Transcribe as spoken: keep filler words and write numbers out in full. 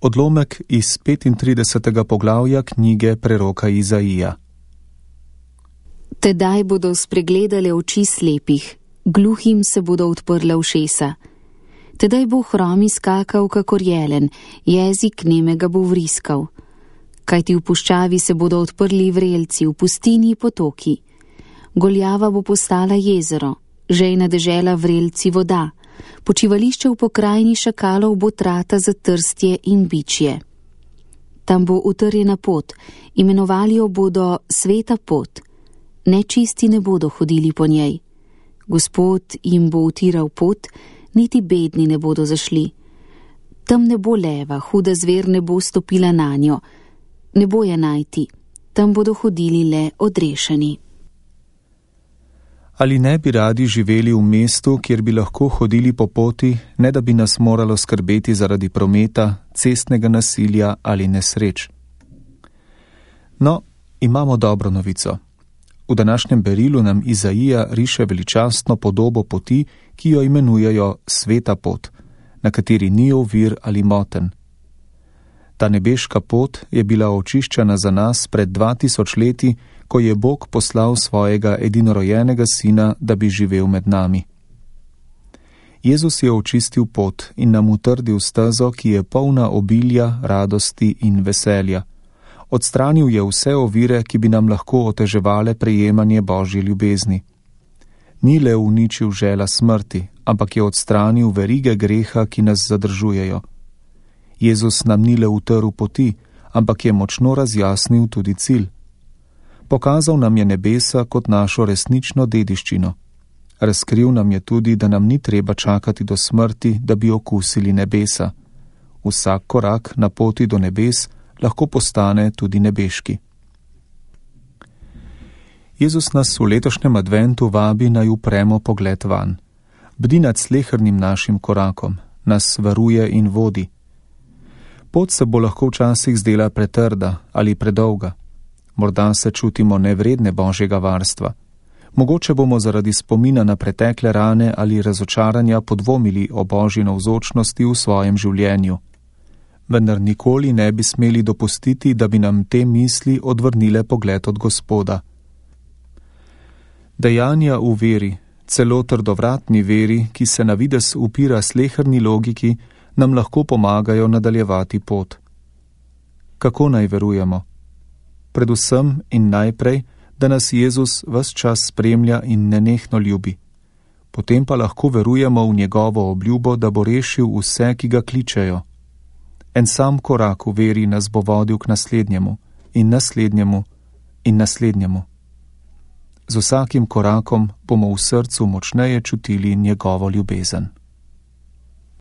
Odlomek iz petintridesetega poglavja knjige preroka Izaija. Tedaj bodo spregledale oči slepih, gluhim se bodo odprla ušesa. Tedaj bo hromi skakal kakor jelen, jezik nemega bo vriskal. Kajti v puščavi se bodo odprli vrelci, v pustini potoki. Goljava bo postala jezero, žejna dežela vrelci voda. Počivališče v pokrajini šakalov bo trata za trstje in bičje. Tam bo utrjena pot, imenovali jo bodo sveta pot. Nečisti ne bodo hodili po njej. Gospod jim bo utiral pot, niti bedni ne bodo zašli. Tam ne bo leva, huda zver ne bo stopila na njo. Ne bo je najti, tam bodo hodili le odrešeni. Ali ne bi radi živeli v mestu, kjer bi lahko hodili po poti, ne da bi nas moralo skrbeti zaradi prometa, cestnega nasilja ali nesreč? No, imamo dobro novico. V današnjem berilu nam Izaija riše veličastno podobo poti, ki jo imenujejo sveta pot, na kateri ni ovir ali moten. Ta nebeška pot je bila očiščena za nas pred dva tisoč leti, ko je Bog poslal svojega edinorojenega sina, da bi živel med nami. Jezus je očistil pot in nam utrdil stezo, ki je polna obilja, radosti in veselja. Odstranil je vse ovire, ki bi nam lahko oteževale prejemanje Božje ljubezni. Ni le uničil žela smrti, ampak je odstranil verige greha, ki nas zadržujejo. Jezus nam ni le utrl poti, ampak je močno razjasnil tudi cilj. Pokazal nam je nebesa kot našo resnično dediščino. Razkril nam je tudi, da nam ni treba čakati do smrti, da bi okusili nebesa. Vsak korak na poti do nebes lahko postane tudi nebeški. Jezus nas v letošnjem adventu vabi naj upremo pogled van. Bdi nad slehernim našim korakom, nas varuje in vodi. Pot se bo lahko včasih zdela pretrda ali predolga. Morda se čutimo nevredne Božjega varstva. Mogoče bomo zaradi spomina na pretekle rane ali razočaranja podvomili o Božji navzočnosti v svojem življenju. Vendar nikoli ne bi smeli dopustiti, da bi nam te misli odvrnile pogled od Gospoda. Dejanja v veri, celo trdovratni veri, ki se na videz upira sleherni logiki, nam lahko pomagajo nadaljevati pot. Kako naj verujemo? Predvsem in najprej, da nas Jezus ves čas spremlja in nenehno ljubi. Potem pa lahko verujemo v njegovo obljubo, da bo rešil vse, ki ga kličejo. En sam korak v veri nas bo vodil k naslednjemu in naslednjemu in naslednjemu. Z vsakim korakom bomo v srcu močneje čutili njegovo ljubezen.